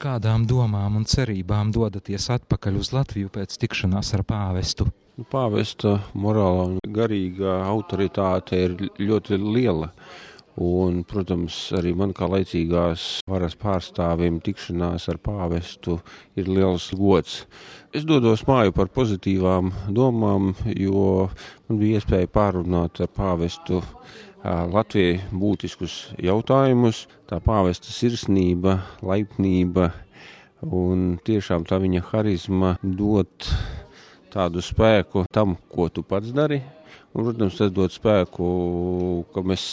kādām domām un cerībām dodaties atpakaļ uz Latviju pēc tikšanās ar pāvestu? Pāvesta morālā un garīgā autoritāte ir ļoti liela. Un, protams, arī man kā laicīgās varas pārstāvim tikšanās ar pāvestu ir liels gods. Es dodos māju par pozitīvām domām, jo man bija iespēja pārunāt ar pāvestu Latvijai būtiskus jautājumus. Tā pāvesta sirsnība, laipnība un tiešām tā viņa harizma dot tādu spēku tam, ko tu pats dari. Un, protams, tas dod spēku, ka mēs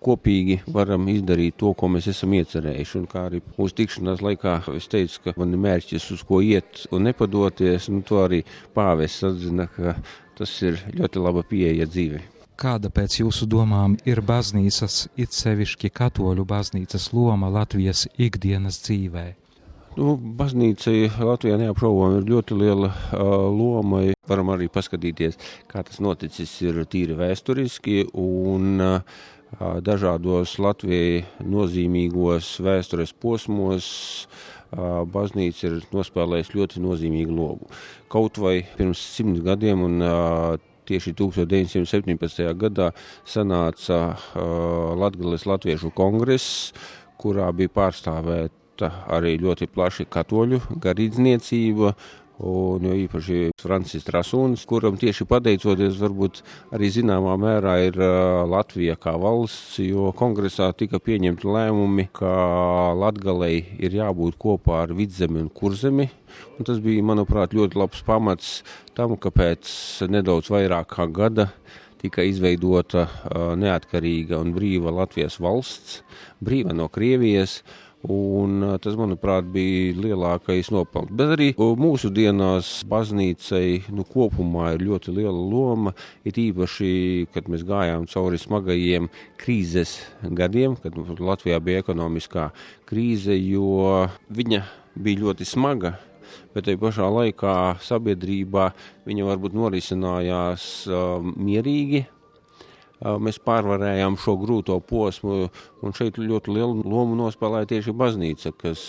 kopīgi varam izdarīt to, ko mēs esam iecerējuši. Un kā arī mūsu tikšanās laikā es teicu, ka man ir mērķis, uz ko iet un nepadoties, un to arī pāvests atzina, ka tas ir ļoti laba pieeja dzīvei. Kāda pēc jūsu domām ir baznīcas, it sevišķi katoļu baznīcas loma Latvijas ikdienas dzīvē? Baznīcai Latvijā neapšaubām ir ļoti liela loma. Varam arī paskatīties, kā tas noticis ir tīri vēsturiski un dažādos Latvijai nozīmīgos vēstures posmos baznīca ir nospēlējusi ļoti nozīmīgu lomu. Kaut vai pirms 100 gadiem un tieši 1917. gadā sanāca Latgales Latviešu kongress, kurā bija pārstāvēta arī ļoti plaši katoļu garīdzniecība, un jo īpaši Francis Trasūns, kuram tieši pateicoties varbūt arī zināmā mērā ir Latvija kā valsts, jo kongresā tika pieņemti lēmumi, ka Latgalei ir jābūt kopā ar Vidzemi un Kurzemi, un tas bija, manuprāt, ļoti labs pamats tam, ka pēc nedaudz vairāk kā gada tika izveidota neatkarīga un brīva Latvijas valsts, brīva no Krievijas, un tas, manuprāt, bija lielākais nopelns. Bet arī mūsu dienās baznīcai kopumā ir ļoti liela loma, it īpaši, kad mēs gājām cauri smagajiem krīzes gadiem, kad Latvijā bija ekonomiskā krīze, jo viņa bija ļoti smaga, bet tai pašā laikā sabiedrībā viņa varbūt norisinājās mierīgi. Mēs pārvarējām šo grūto posmu, un šeit ļoti lielu lomu nospēlēja tieši baznīca, kas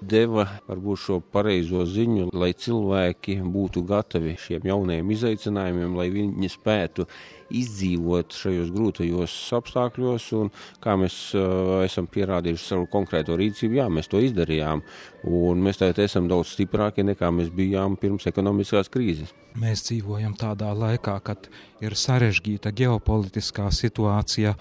deva varbūt šo pareizo ziņu, lai cilvēki būtu gatavi šiem jaunajiem izaicinājumiem, lai viņi spētu izdzīvot šajos grūtajos apstākļos, un kā mēs esam pierādījuši savu konkrēto rīcību, jā, mēs to izdarījām, un mēs tagad esam daudz stiprāki nekā mēs bijām pirms ekonomiskās krīzes. Mēs dzīvojam tādā laikā, kad ir sarežģīta ģeopolitiskā situācija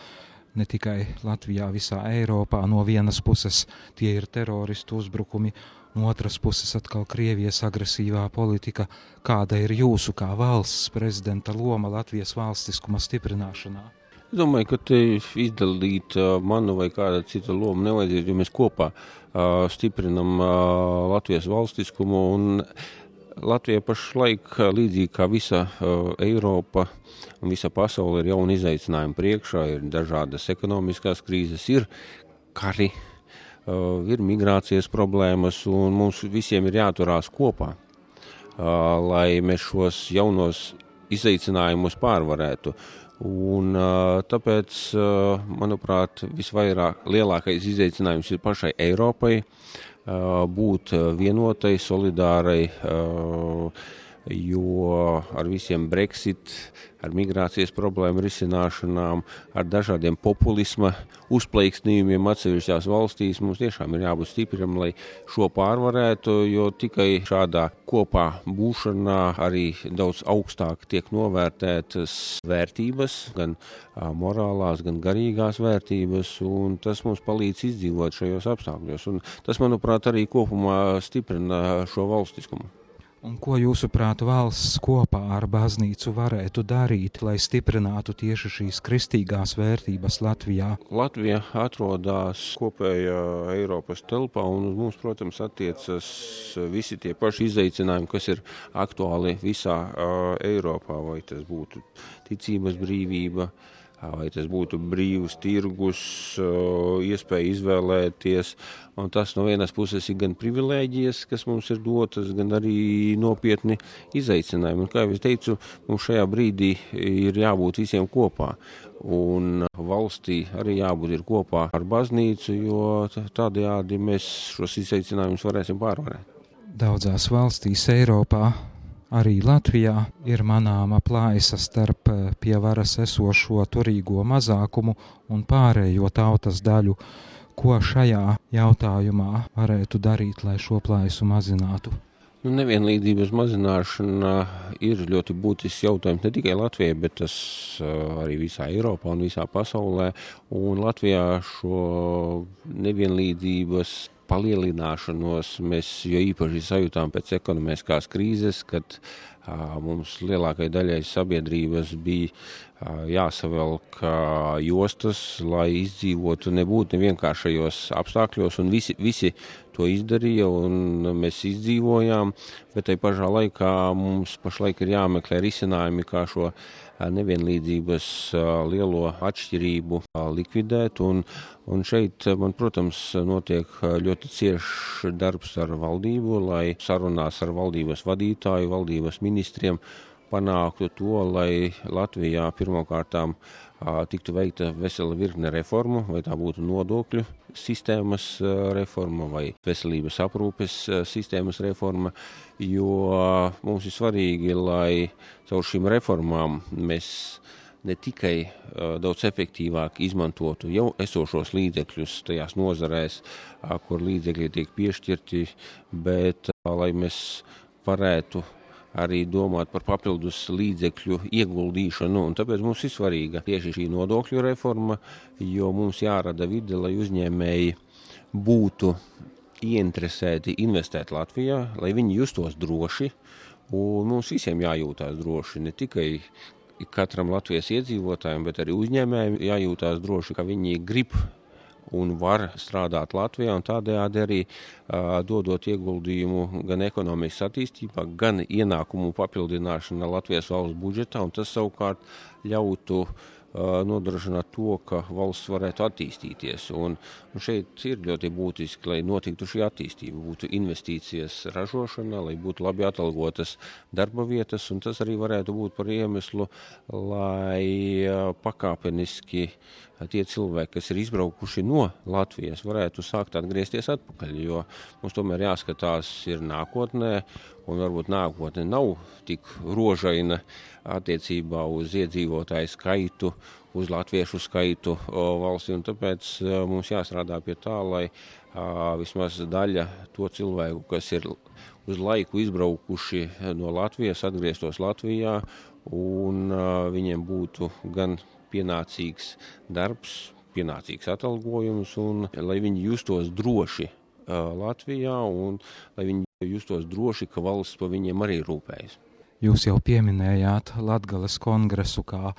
ne tikai Latvijā, visā Eiropā. No vienas puses tie ir teroristu uzbrukumi, no otras puses atkal Krievijas agresīvā politika. Kāda ir jūsu kā valsts prezidenta loma Latvijas valstiskuma stiprināšanā? Es domāju, ka te izdalīt manu vai kāda cita loma nevajadzētu, jo mēs kopā stiprinam Latvijas valstiskumu, un Latvija pašlaik, līdzīgi kā visa Eiropa un visa pasaule, ir jauni izaicinājumi priekšā, ir dažādas ekonomiskās krīzes, ir kari, ir migrācijas problēmas, un mums visiem ir jāturās kopā, lai mēs šos jaunos izaicinājumus pārvarētu. Un tāpēc, manuprāt, lielākais izaicinājums ir pašai Eiropai, būt vienotai, solidārai, jo ar visiem Brexit, ar migrācijas problēmu risināšanām, ar dažādiem populisma uzplaiksnījumiem atsevišķās valstīs mums tiešām ir jābūt stipriem, lai šo pārvarētu, jo tikai šādā kopā būšanā arī daudz augstāk tiek novērtētas vērtības, gan morālās, gan garīgās vērtības, un tas mums palīdz izdzīvot šajos apstākļos. Un tas, manuprāt, arī kopumā stiprina šo valstiskumu. Un ko jūsuprāt valsts kopā ar baznīcu varētu darīt, lai stiprinātu tieši šīs kristīgās vērtības Latvijā? Latvija atrodas kopējā Eiropas telpā, un uz mums, protams, attiecas visi tie paši izaicinājumi, kas ir aktuāli visā Eiropā, vai tas būtu ticības brīvība, vai tas būtu brīvs tirgus, iespēja izvēlēties. Un tas no vienas puses ir gan privilēģijas, kas mums ir dotas, gan arī nopietni izaicinājumi. Un, kā jau es teicu, mums šajā brīdī ir jābūt visiem kopā. Un valstī arī jābūt ir kopā ar baznīcu, jo tādējādi mēs šos izaicinājumus varēsim pārvarēt. Daudzās valstīs Eiropā, arī Latvijā, ir manāma plaisa starp pie varas esošo turīgo mazākumu un pārējo tautas daļu. Ko šajā jautājumā varētu darīt, lai šo plaisu mazinātu? Nevienlīdzības mazināšana ir ļoti būtisks jautājums ne tikai Latvijai, bet tas arī visā Eiropā un visā pasaulē. Un Latvijā šo nevienlīdzības palielināšanos mēs jo īpaši sajūtām pēc ekonomiskās krīzes, kad mums lielākai daļai sabiedrības bija jāsavelk jostas, lai izdzīvotu, nebūtu nevienkāršajos apstākļos, un visi to izdarīja, un mēs izdzīvojām, bet tai pašā laikā mums pašlaik ir jāmeklē risinājumi, kā šo nevienlīdzības lielo atšķirību likvidēt, un šeit man, protams, notiek ļoti ciešs darbs ar valdību, lai sarunās ar valdības vadītāju, valdības ministriem panāktu to, lai Latvijā pirmkārtām tiktu veikta vesela virkne reformu, vai tā būtu nodokļu sistēmas reforma vai veselības aprūpes sistēmas reforma, jo mums ir svarīgi, lai caur šīm reformām mēs ne tikai daudz efektīvāk izmantotu jau esošos līdzekļus tajās nozarēs, kur līdzekļi tiek piešķirti, bet lai mēs varētu arī domāt par papildus līdzekļu ieguldīšanu, un tāpēc mums ir svarīga tieši šī nodokļu reforma, jo mums jārada vide, lai uzņēmēji būtu ieinteresēti investēt Latvijā, lai viņi justos droši, un mums visiem jājūtās droši, ne tikai katram Latvijas iedzīvotājiem, bet arī uzņēmējiem jājūtās droši, ka viņi grib un var strādāt Latvijā, un tādējādi arī dodot ieguldījumu gan ekonomikas attīstībā, gan ienākumu papildināšanā Latvijas valsts budžetā, un tas savukārt ļautu nodrošināt to, ka valsts varētu attīstīties. Un šeit ir ļoti būtiski, lai notiktu šī attīstība, būtu investīcijas ražošanā, lai būtu labi atalgotas darba vietas, un tas arī varētu būt par iemeslu, lai pakāpeniski tie cilvēki, kas ir izbraukuši no Latvijas, varētu sākt atgriezties atpakaļ, jo mums tomēr jāskatās ir nākotnē, un varbūt nākotne nav tik rožaina attiecībā uz iedzīvotāju skaitu, uz latviešu skaitu valstī, un tāpēc mums jāstrādā pie tā, lai vismaz daļa to cilvēku, kas ir uz laiku izbraukuši no Latvijas, atgrieztos Latvijā, un viņiem būtu gan pienācīgs darbs, pienācīgs atalgojums, un lai viņi justos droši Latvijā, un lai viņi justos droši, ka valsts par viņiem arī rūpējas. Jūs jau pieminējāt Latgales kongresu kā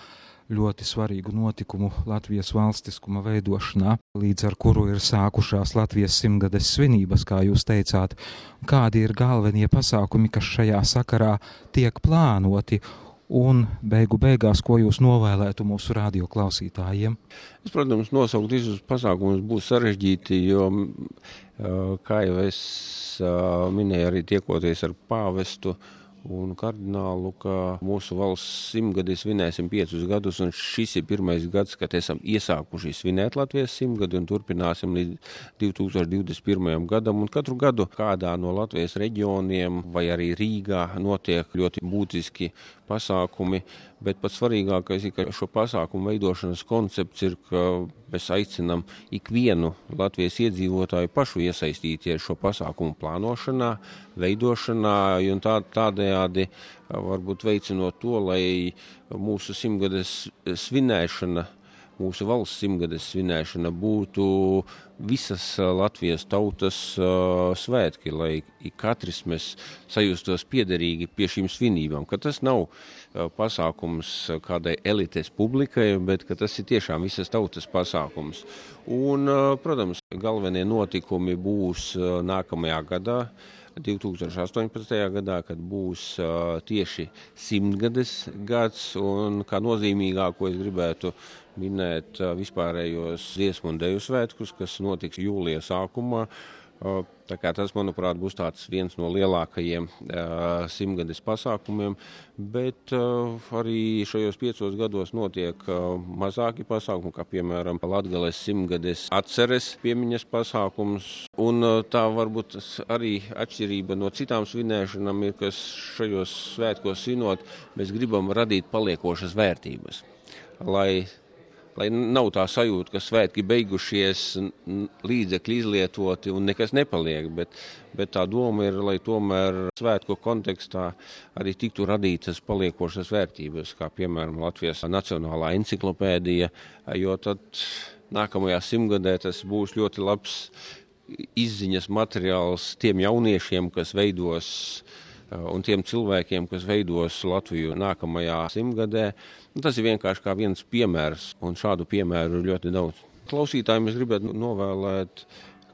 ļoti svarīgu notikumu Latvijas valstiskuma veidošanā, līdz ar kuru ir sākušās Latvijas 100-gades svinības, kā jūs teicāt. Kādi ir galvenie pasākumi, kas šajā sakarā tiek plānoti? Un beigās, ko jūs novēlētu mūsu radioklausītājiem? Es, protams, nosaukt visus pasākumus būs sarežģīti, jo, kā jau es minēju, arī tiekoties ar pāvestu un kardinālu, ka mūsu valsts 100-gadi svinēsim 5 gadus, un šis ir pirmais gads, kad esam iesākuši svinēt Latvijas 100-gadi un turpināsim līdz 2021. gadam. Un katru gadu kādā no Latvijas reģioniem vai arī Rīgā notiek ļoti būtiski pasākumi, bet pats svarīgākais ir, ka šo pasākumu veidošanas koncepts ir, ka mēs aicinam ikvienu Latvijas iedzīvotāju pašu iesaistīties šo pasākumu plānošanā, veidošanā, un tādējādi varbūt veicinot to, lai mūsu 100-gades svinēšana, mūsu valsts 100-gades svinēšana būtu visas Latvijas tautas svētki, lai katrs mēs sajustos piederīgi pie šīm svinībām, ka tas nav pasākums kādai elites publikai, bet ka tas ir tiešām visas tautas pasākums. Un, protams, Galvenie notikumi būs nākamajā gadā, 2018. gadā, kad būs tieši 100-gades gads, un kā nozīmīgāko es gribētu minēt vispārējos dziesmu un deju svētkus, kas notiks jūlija sākumā. Tā kā tas, manuprāt, būs tāds viens no lielākajiem 100-gades pasākumiem, bet arī šajos 5 gados notiek mazāki pasākumi, kā piemēram Latgales 100-gades atceres piemiņas pasākums. Un tā varbūt arī atšķirība no citām svinēšanām ir, kas šajos svētkos svinot, mēs gribam radīt paliekošas vērtības, lai nav tā sajūta, ka svētki beigušies, līdzekļi izlietoti un nekas nepaliek, bet tā doma ir, lai tomēr svētku kontekstā arī tiktu radītas paliekošas vērtības, kā piemēram Latvijas Nacionālā enciklopēdija, jo tad nākamajā 100-gadē tas būs ļoti labs izziņas materiāls tiem jauniešiem, kas veidos un tiem cilvēkiem, kas veidos Latviju nākamajā 100-gadē. Tas ir vienkārši kā viens piemērs, un šādu piemēru ir ļoti daudz. Klausītājiem es gribētu novēlēt,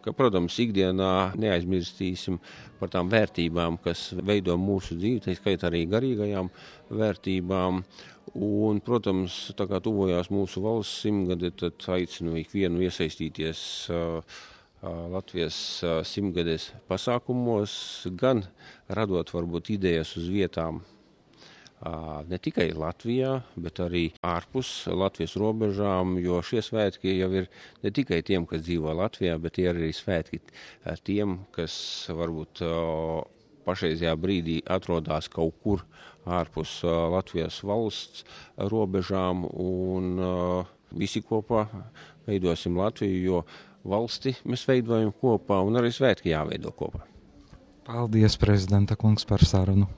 ka, protams, ikdienā neaizmirstīsim par tām vērtībām, kas veido mūsu dzīvi, tā skaitā arī garīgajām vērtībām. Un, protams, tā kā tuvojās mūsu valsts 100-gadi, tad aicinu ikvienu iesaistīties Latvijas 100-gades pasākumos, gan radot varbūt idejas uz vietām ne tikai Latvijā, bet arī ārpus Latvijas robežām, jo šie svētki jau ir ne tikai tiem, kas dzīvo Latvijā, bet ir arī svētki tiem, kas varbūt pašreizajā brīdī atrodas kaut kur ārpus Latvijas valsts robežām, un visi kopā veidosim Latviju, jo valsti mēs veidojam kopā, un arī svētki jāveido kopā. Paldies, prezidenta kungs, par sarunu.